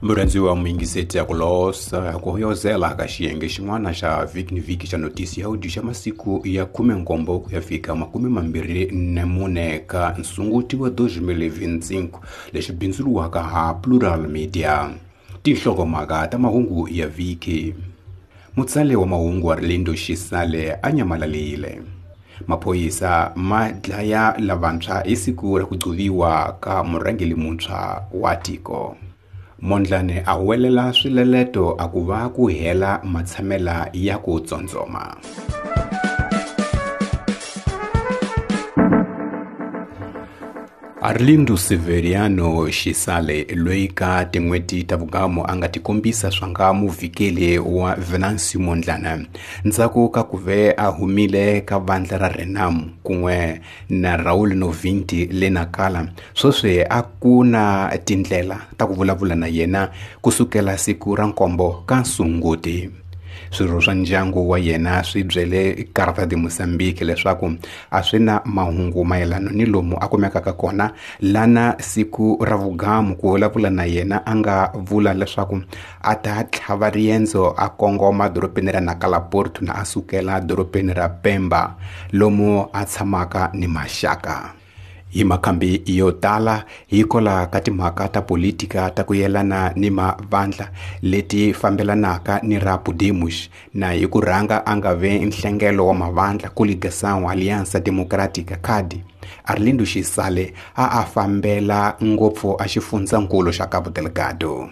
Murhandziwa muyingiseti ya ku losa ku hoyozela ka xiyenge xin'wana xa vhiki ni vhiki xa notisi ya audio xa masiku ya 17 ku ya fika 24 ka nsunguti wa 2025 lexi bindzuriwaka ha Plural Media. Tinhlokomhaka ta mahungu ya vhiki. Mutsali wa mahungu Arlindo Xisale a nyamalalile. Maphorisa ma dlaya lavantshwa hi siku ra ku gcoviwa ka murhangeri muntshwa wa tiko. Mondlane a huwelela swileleto a ku va ku hela matshamela ya ku tsondzoma. Arlindo Severiano Xisale loyi ka tin'hweti ta vugamu a nga tikombisa swa nga muvhikeli wa Venancio Mondlane ndzhaku ka ku ve a humile ka vandla ra Renamo kun'we na Raul Novinti le Nakala sweswi a ku na tindlela ta ku vulavula na yena kusukela siku ra 7 ka Sunguti. Swirho swa ndyangu wa yena swi byele Carta de Mozambique leswaku a swi na mahungu mayelana ni lomu a kumekaka kona lana siku ra vugamu ku vulavula na yena a nga vula leswaku a ta tlhava riendzo a kongoma dorobeni ra Nacala Porto na a sukela dorobeni ra Pemba lomu a tshamaka ni maxaka. Hi makhambi yo tala hikola ka timhaka ta politika ta ku yelana ni mavandla leti fambelanaka ni ra Podemos na hi ku rhanga a nga ve nhlengelo wa mavandla Coligação Aliança Democrática CAD. Arlindo Xisale a a fambela ngopfu a xifundzankulu xa Cabo Delgado.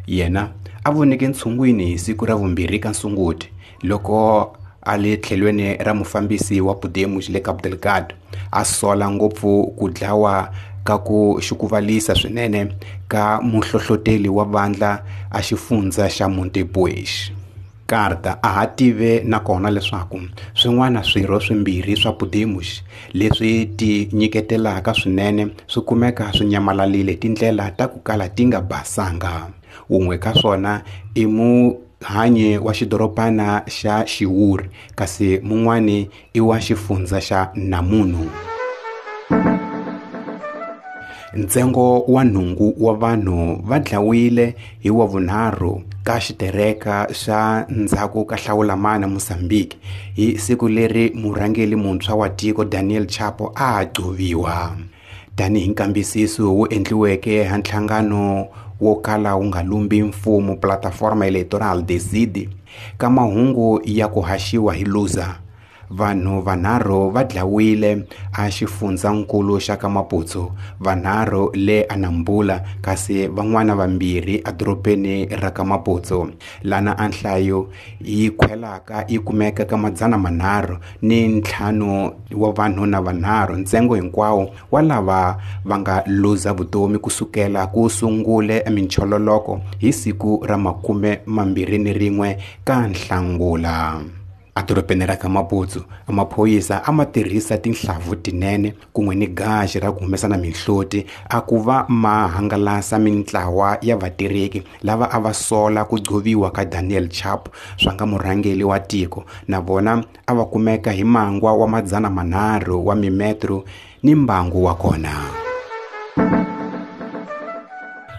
Yena a voneke ntshungwini hi siku ra 2 ka Sunguti loko a le tlhelweni ra mufambisi wa Podemos le Cabo Delgado a sola ngopfu ku dlawa ka ku xukuvalisa swinene ka muhlohloteli wa vandla a xifundza xa Montepuez. Carta a ha tive nakona leswaku swin'wana swirho swimbirhi swa Podemos leswi ti nyiketelaka swinene swi kumeka swi nyamalalile tindlela ta ku kala ti nga basanga. Wun'we ka swona i muhanyi wa xidorobana xa Xiwuri kasi mun'wani i wa xifundza xa Namunu. Ntsengo wa 8 wa vanhu va dlawile hi wa vunharhu ka xitereka xa ndzhaku ka hlawulamana Mozambique hi siku leri murhangeri muntshwa wa tiko Daniel Chapo a gcoviwa. Tanihi nkambisiso wu endliweke ha nhlangano wo kala wu nga lumbi mfumo Plataforma Eleitoral Decide ka mahungu ya ku haxiwa hi Lusa, vanhu vanharhu va dlawile a xifundzankulu xa ka Maputo, vanharhu le Anambula kasi van'wana vambirhi edorobeni ra ka Maputo, lana a nhlayo yi khwelaka yi kumeka ka 305 wa vanhu na vanharhu ntsengo hinkwawo wa lava va nga luza vutomi kusukela ku sungule minchololoko hi siku ra 21 ka Nhlangula. Edorobeni ra ka Maputo, maphorisa a ma tirhisa tinhlavu tinene kun'we ni gaji ra ku humesa na mihloti a ku va ma hangalasa mintlawa ya vatirheki lava a va sola ku gcoviwa ka Daniel Chapo swa nga murhangeri wa tiko na vona a va kumeka hi mangwa wa 300 wa mimetro ni mbangu wa kona.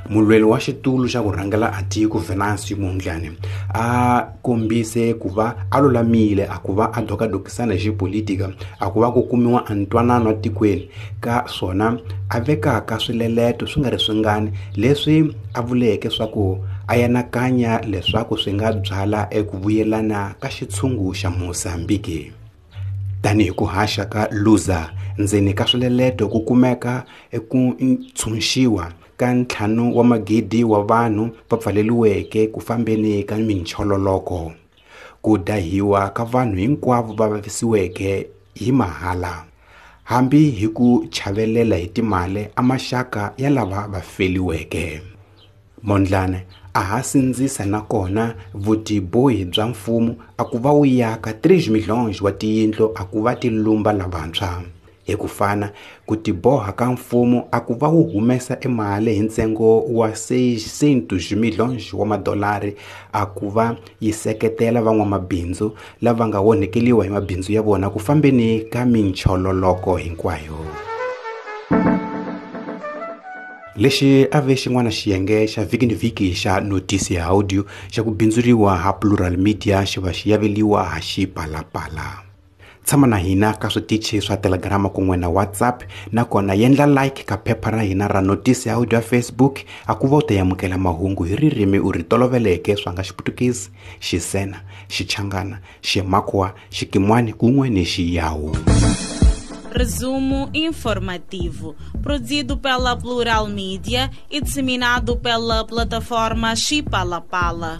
Mulweli wa xitulu xa ku rhangela a tiko Venancio Mondlane a kombise ku va a lulamile a ku va a dokadokisana hi xipolitika a ku va ku kumiwa ntwanano tikweni ka swona a vekaka swileleto swi nga ri swingani leswi a vuleke swa ku a yanakanya leswaku swi nga byala eku vuyelana ka xitshungu xa Mozambique. Tanihi ku haxa ka Lusa ndzeni ka swileleto ku kumeka eku ntshunxiwa ka 5 wa magidi wa vanhu va pfaleliweke ku fambeni ka minchololoko, ku dahiwa ka vanhu hinkwavo va vavisiweke hi mahala, hambi hi ku chavelela hi timali a maxaka ya lava va feliweke. Mondlane a ha sindzisa nakona vutibohi bya mfumo a ku va wu yaka 3 milhonji wa tiyindlu a ku va ti lumba lavantshwa. Hi ku fana ku tiboha ka mfumo a ku va wu humesa emali hi ntsengo wa 600 milhonji wa madolari a ku va yi seketela van'wamabindzu lava nga onhekeliwa hi mabindzu ya vona ku fambeni ka minchololoko hinkwayo. Lexi a ve xin'wana xiyenge xa vhiki ni vhiki xa notisi ya audio xa ku bindzuriwa ha Plural Media xi va xi yaveliwa ha Xipalapala. Tshama na hina ka switichi swa Telegram kun'we na WhatsApp, nakona yendla like ka phepha ra hina ra notisi ya audio ya Facebook a ku va u ta amukela mahungu hi ririmi u ri toloveleke swa nga Xiputukezi, Xisena, Xichangana, Ximakwa, Xikimwani kun'we ni Xiyawu. Resumo informativo, produzido pela Plural Mídia e disseminado pela plataforma Xipalapala.